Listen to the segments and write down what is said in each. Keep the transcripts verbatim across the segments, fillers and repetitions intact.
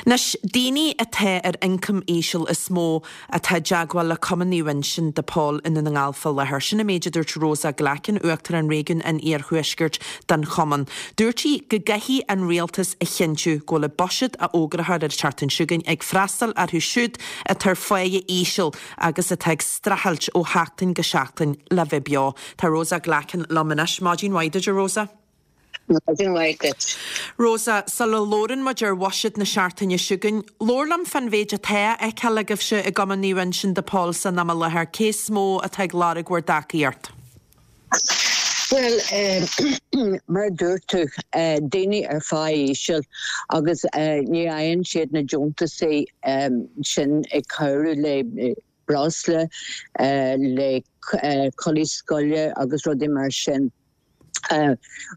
Anois, daoine atá ar ioncam íseal is mó atá i dteagmháil le Cumann Naomh Uinseann de Pól i nDún na nGall fá láthair. Sin an méid a dúirt Rosa Glackin, Uachtarán Réigiún an Iarthuaiscirt den Chumann. Dúirt sí go gcaithfidh an rialtas a chinntiú go bhfuil an buiséad a fhógrófar ar an tseachtain seo chugainn ag freastal orthu siúd atá ar pháighe íseal agus atá ag streachailt ó sheachtain go seachtain le bheith beo. Tá Rosa Glackin liom anois. Maidin mhaith duit, a Rosa. Maidin mhaith duit. Rosa, sula labhrann muid ar bhuiséad na seachtaine seo chugainn, labhair liom fán mhéid atá á fheiceáil agaibhse i gCumann Naomh Uinseann de Pól san am i láthair, cé is mó atá ag lorg bhur dtacaíocht? Bhuel, mar a dúirt tú, daoine ar phá íseal agus ní fhaigheann siad na deontasaí sin ag cabhrú le breosla, le culaith scoile agus rudaí mar sin.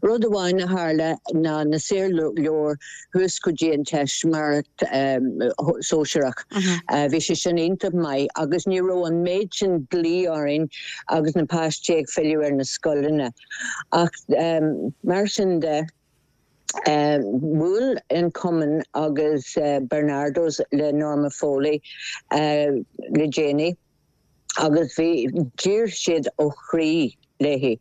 Rud amháin a tharla ná na saorleabhair thuas go dtí an teistiméireacht sóisearach. Bhí sé sin iontach maith agus ní raibh an méid sin glaoch orainn agus na páistí ag filleadh ar na scoileanna. Ach mar sin de, bhuail an Cumann agus Barnardo's le Norma Foley le déanaí agus bhí d'iarr siad ó chroí léi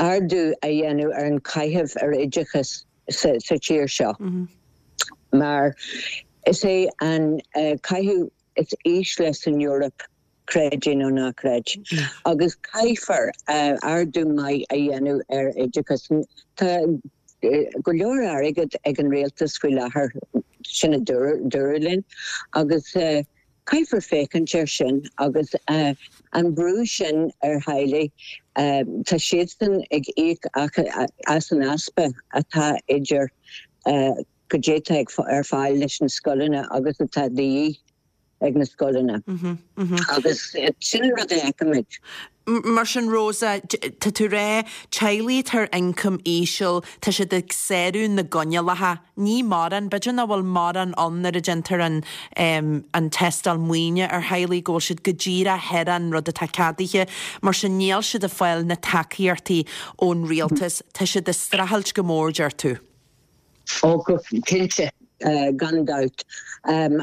ardú a dhéanamh ar an caitheamh ar oideachas sa tír seo mar is é an caitheamh is ísle san Eoraip, creid é nó ná creid. Agus caithfear ardú maith a dhéanamh ar oideachas. Tá go leor airgead ag an rialtas faoi láthair, sin a dúradh linn, agus caithfear féachaint air sin agus an brú sin ar theaghlaigh, tá siadsan ag íoc as an easpa atá idir goidé atá ar fáil leis na scoileanna agus atá de dhíth ag na scoileanna. Agus sin an rud a fheicimid. Mar sin Rosa, tá tú ag rá, teaghlaigh atá ar ioncam íseal, tá siad ag sárú na gcoinníollacha. Ní mórán, b'fhéidir nach bhfuil mórán ann nuair a déantar an an tástáil maoine ar theaghlaigh, go bhfuil siad go díreach thar an rud atá ceadaithe. Mar sin níl siad ag fáil na tacaíochtaí ón rialtas. Tá siad ag streachailt go mór, deir tú. Ó, go cinnte, gan dabht.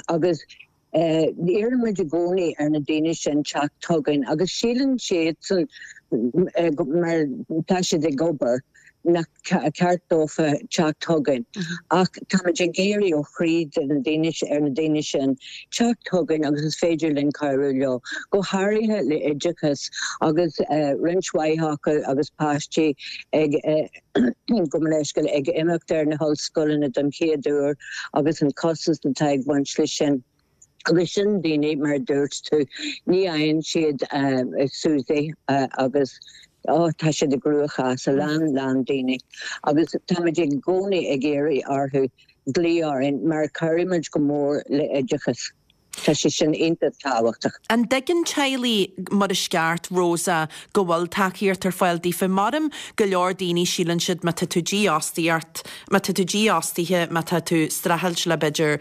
Agus iarraimid i gcónaí ar na daoine sin teacht chugainn agus síleann siadsan, mar tá siad ag obair, nach ceart dófa teacht chugainn. Ach táimid ag iarraidh ó chroí de na daoine, ar na daoine sin teacht chugainn agus is féidir linn cabhrú leo, go háirithe le oideachas agus roinnt mhaith acu agus páistí ag gabh mo leithscéal ag imeacht ar na hollscoileanna don chéad uair agus an costas atá ag baint leis sin. Agus sin daoine, mar a dúirt tú, ní fhaigheann siad SUSI agus oh tá siad i gcruachás, a lán, lán daoine. Agus táimid i gcónaí ag iarraidh orthu glaoch orainn mar cabhraímid go mór le oideachas. Tá sé sin iontach tábhachtach. An dtuigeann teaghlaigh mar is ceart, Rosa, go bhfuil tacaíocht ar fáil daofa? Maram go leor daoine síleann siad má tá tú dífhostaíocht, má tá tú dífhostaithe, má tá tú streachailt le b'fhéidir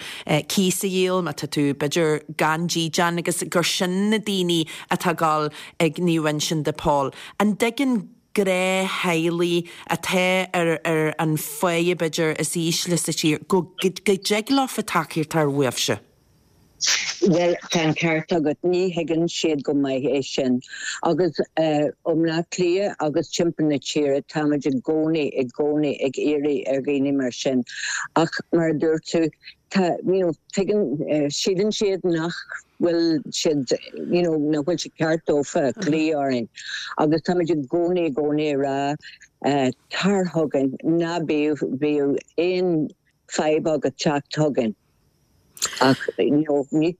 cíos a dhíol, má tá tú b'fhéidir gan dídean agus gur sin na daoine atá ag dul ag Naomh Uinseann de Pól. An dtuigeann gnáth-theaghlaigh atá ar ar an pháighe b'fhéidir is ísle sa tír go go dtig leofa tacaíocht a fháil uaibhse? Bhuel, tá an ceart agat, ní thuigeann siad go maith é sin. Agus ó mBleá Cliath agus timpeall na tíre, táimid i gcónaí, i gcónaí ag iarraidh ar dhaoine mar sin. Ach mar a dúirt tú, tá, you know, tuigeann, síleann siad nach bhfuil siad, you know, nach bhfuil sé ceart dófa glaoch orainn. Agus táimid i gcónaí, i gcónaí ag rá, tar chugainn, ná bíodh, bíodh aon fadhb agat teacht chugainn. Ach ní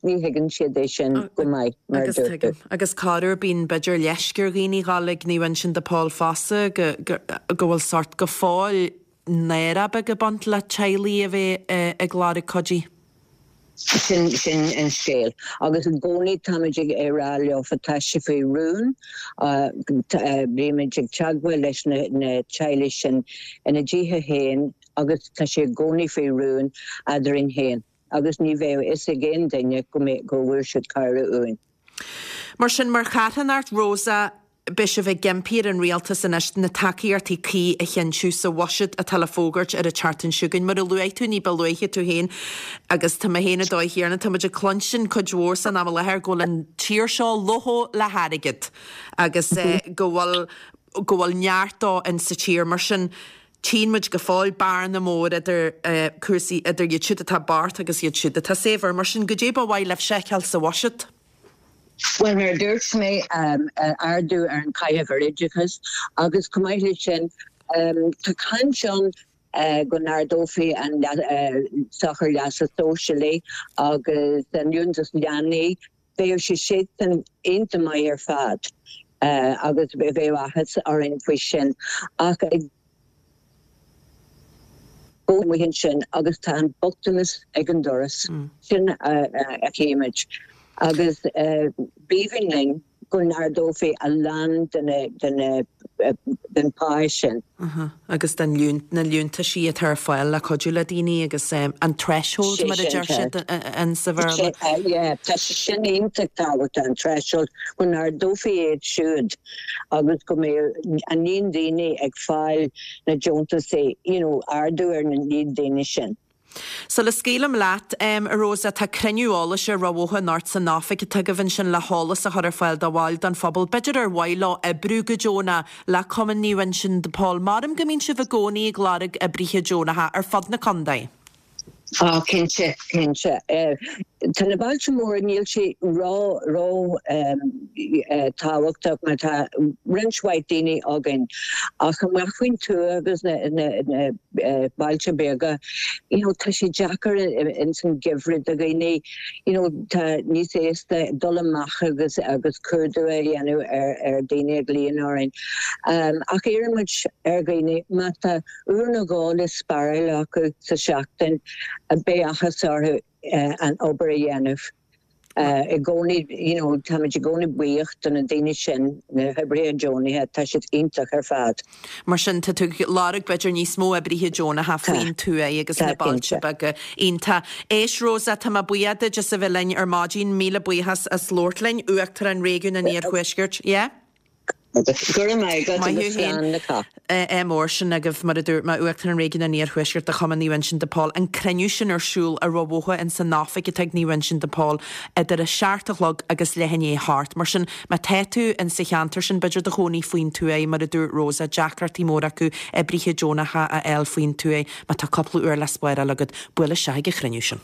thuigeann siad é sin go maith, mar a Agus dúirt tú. tuigim. Agus corruair bíonn b'fhéidir leisce ar dhaoine dhul ag Naomh Uinseann de Pól fosta go go bhfuil sórt go fóill náire beag ag baint le teaghlaigh a bheith ag lorg cuidí. Sin sin an scéal. Agus i gcónaí táimid ag rá leofa tá sé faoi rún, bímid ag teagmháil leis na na teaghlaigh sin ina dtithe féin agus tá sé i gcónaí faoi rún eadrainn féin agus ní bheadh fhios ag aon duine go mbeidh go bhfuair siad cabhrú uainn. Mar sin, mar charthanacht, Rosa, Beidh sibh ag impí ar an rialtas anois na tacaíochtaí cuí a chinntiú sa bhuiséad atá le fógairt ar an tseachtain seo chugainn. Mar a luaigh tú ní ba luaithe tú féin agus tá mé féin ag dóigh chéanna, tá muid ag cluinstin cuid mhór san am i láthair go bhfuil an tír seo lofa le hairgead agus go bhfuil go bhfuil neart dó in sa tír mar sin tchíonn muid go fóill bearna mór idir cúrsaí idir iad siúd atá bocht agus iad siúd atá saibhir. Mar sin goidé ba mhaith libh feiceáil sa bhuiséad. Well mar a dúirt mé ardú ar an caitheamh ar oideachas agus chomh maith leis sin tá caint ann go n-ardófaí an sochar leasa sóisialaigh agus an liúntas leanaí, bheadh sé sin iontach maith ar fad agus bheadh áthas orainn faoi sin ach ag go amuigh ansin agus tá an bochtanas ag an doras, sin a chímid. Agus b'aoibhinn linn go n-ardófaí a lán de den phá sin. Agus den na liúntaisí atá ar fáil le cuidiú le daoine agus an threshold mar a deir siad in sa Bhéarla. Yeah, tá sé sin iontach tábhachtach an threshold go n-ardófaí iad siúd agus go mbeadh an líon daoine ag fáil na deontaisí, you know, ardú ar na líon daoine sin. Sula scaoilim leat, a Rosa, tá cruinniú eolais ar Ráth Bhoth anocht san oifig atá agaibh ansin le heolas a chur ar fáil do bhaill den phobal. B'fhéidir ar mhaith leo oibriú go deonach le Cumann Naomh Uinseann de Pól. Maram go mbíonn sibh i gcónaí ag lorg oibrithe deonacha ar fud na contae. Á, cinnte, cinnte. Tá na bailte móra, níl sé ró, ró tábhachtach mar tá roinnt mhaith daoine againn ach amach faoin tuath agus na, na, na bailte beaga, you know, tá sé deacair ins an gheimhreadh do dhaoine, you know, tá níos éasca dul amach agus agus cuardú a dhéanamh ar, ar daoine ag glaoch orainn. Um, ach iarrann muid ar dhaoine má tá uair nó dhó le spáráil acu sa seachtain, beidh áthas orthu an obair a dhéanamh. I gcónaí, you know, táimid i gcónaí buíoch do na daoine sin, na hoibrithe deonacha, tá siad iontach ar fad. Mar sin, tá tú ag lorg b'fhéidir níos mó oibrithe deonacha faoin tuath agus na bailte beaga. Iontach. Éist Rosa, tá mé buíoch duit as a bheith linn ar maidin, míle buíochas as labhairt linn, Uachtarán Réigiún an Iarthuaiscirt. Yeah? Go raibh maith agat agus slán le cách. Mór sin agaibh, mar a dúirt mé, Uachtarán Réigiún an Iarthuaiscirt de Chumann Naomh Uinseann de Pól, an cruinniú sin ar siúl ar Ráth Bhoth in san oifig atá ag Naomh Uinseann de Pól idir a seacht a chlog agus leath i ndiaidh a hocht. Mar sin, má tá tú in sa cheantar sin, b'fhéidir do chónaí faoin tuath, mar a dúirt Rosa, deacrachtaí móra acu oibrithe deonacha a fháil faoin tuath, má tá cúpla uair le spáráil agat, buail isteach ag an chruinniú sin.